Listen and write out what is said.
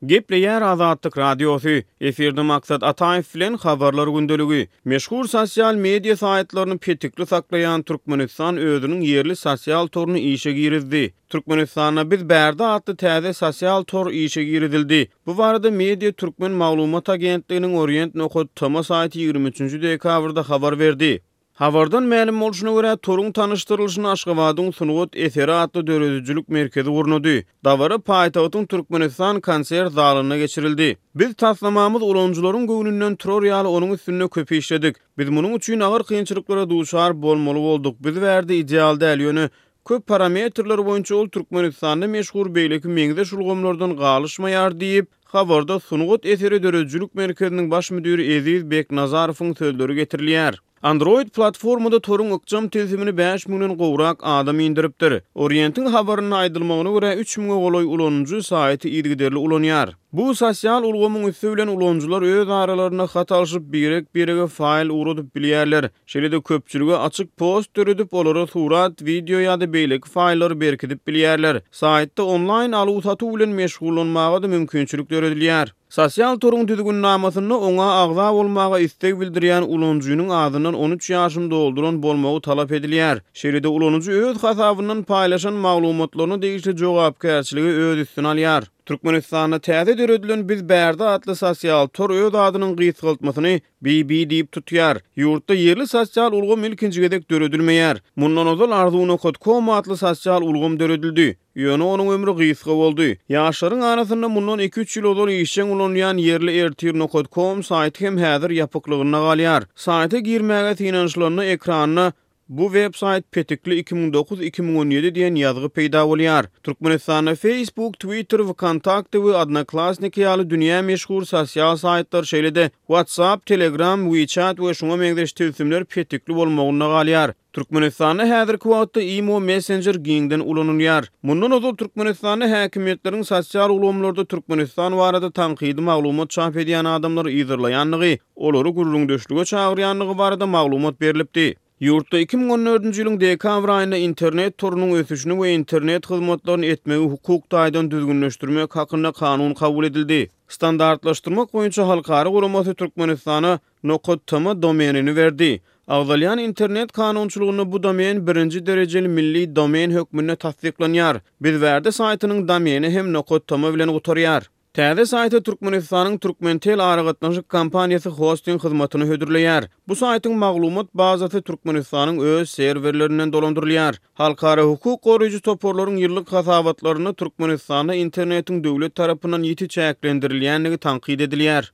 Gepleýär Azatlyk Radiosy, efirde Maksat Ataýew bilen Habarlar gündeligi. Meşhur sosial media saýtlaryny petikli saklaýan Türkmenistan özüniň ýerli sosial toruny işe girizdi. Türkmenistanda Biz bärde atly täze sosial tor işe girizildi. Bu barada Media Türkmen maglumat agentliginiň Orient nokat tm saýty 23 dekabrda habar berdi. Habardan mälim bolşuna görä, toruň tanyşdyrylyşyny Aşgabadyň Sungat eseri atly döredijilik merkezi gurnady. Dabara paýtagtyň Türkmenistan konsert zalynda geçirildi. Biz taslamamyz ulanyjylaryň göwnünden turar ýaly onuň üstünde köp işledik. Biz munuň üçin agyr kynçylyklara duçar bolmaly bolduk. Biz bärde ideal däl, ýöne köp parametrler boýunça ol Türkmenistanda meşhur beýleki meňzeş ulgamlardan galyşmaýar diýip, habarda Sungat eseri döredijilik merkeziniň baş müdiri Eziz Beknazarowyň sözleri getirilýär. Android platformada toruň ykjam tilsimini bäş müňden gowrak adam indiripdir. Orientiň habarynda aýdylmagyna görä, üç müňe golaý ulanyjy saýty yzygiderli ulanýar. Bu sosial ulgamyň üsti bilen ulanyjylar öz aralarynda hat alşyp, birek-birege faýl ugradyp bilýärler. Şeýle-de köpçülige açyk post döredip, olara surat, wideo ýa-da beýleki faýllary berkidip bilýärler. Saýtda onlaýn aluw-satuw bilen meşgullanmaga-da mümkinçilik döredilýär. Sosial toruň düzgünnamasynda oňa agza bolmaga isleg bildirýän ulanyjynyň azyndan 13 ýaşyny dolduran bolmagy talap edilýär. Şeýle-de ulanyjy öz hasabyndan paýlaşan maglumatlaryna degişli jogapkärçiligi öz üstüne alýar. Türkmenistanda täze döredilen Biz bärde atly sosial tor öz adynyň gysgaltmasyny BB diýip tutýar. Ýurtda ýerli sosial ulgam ilkinji gezek döredilmeýär. Mundan ozal Arzuw nokat kom atly sosial ulgam döredildi. Ýöne onuň ömri gysga boldy. Ýaşlaryň arasynda mundan iki-üç ýyl ozal işjeň ulanylýan ýerli ertir nokat kom saýty hem häzir ýapyklygynda galýar. Saýta girmäge synanyşylanda ekranda Bu web saýt petikli 2009, 2017 diýen ýazgy peýda bolýar. Türkmenistanda Facebook, Twitter, Wkontakte we Odnoklassniki ýaly dünýä meşhur sosial saýtlar, şeýle-de WhatsApp, Telegram, WeChat we şuňa meňzeş tilsimler petikli bolmagynda galýar. Türkmenistanda häzirki wagtda Imo messenjer giňden ulanylýar. Mundan ozal Türkmenistanda häkimiýetleriň sosial ulgamlarda Türkmenistan barada tankydy maglumat çap edýän adamlary yzarlaýandygy, olary gürrüňdeşlige çagyrýandygy barada maglumat berlipdi. Ýurtda 2014-nji ýylyň dekabr aýynda internet torunyň ösüşini we internet hyzmatlaryny etmegi hukuk taýdan düzgünleşdirmek hakynda kanun kabul edildi. Standartlaşdyrmak boýunça halkara guramasy Türkmenistana nokat tm domenini berdi. Agzalýan internet kanunçylygynda bu domen birinji derejeli milli domen hökmünde tassyklanýar. Bizbärde saýtynyň domeni hem nokat tm bilen gutarýar. Täze saýta Türkmenistanyň Türkmentel aragatnaşyk kompaniýasy hosting hyzmatyny hödürleýär. Bu saýtyň maglumat bazasy Türkmenistanyň öz serwerlerinden dolandyrylýar. Halkara hukuk goraýjy toparlaryň ýyllyk hasabatlarynda Türkmenistanda internetiň döwlet tarapyndan ýiti çäklendirilýändigi tankyt edilýär.